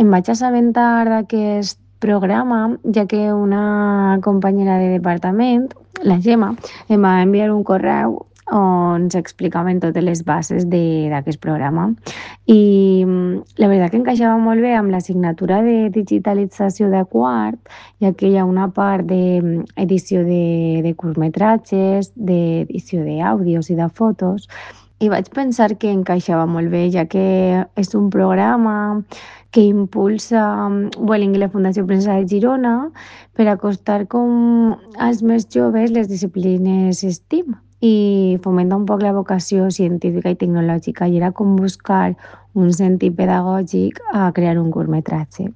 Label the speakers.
Speaker 1: em vaig assabentar d'aquest programa, ja que una companyera de departament, la Gemma, em va enviar un correu on s'explicaven totes les bases d'aquest programa. I la veritat que encaixava molt bé amb l'assignatura de digitalització de quart, ja que hi ha una part d'edició de curtmetratges, d'edició d'àudios i de fotos, i vaig pensar que encaixava molt bé, ja que és un programa que impulsa Vueling i la Fundació Princesa de Girona per acostar com als més joves les disciplines STEAM i fomenta un poc la vocació científica i tecnològica, i era com buscar un sentit pedagògic a crear un curtmetratge.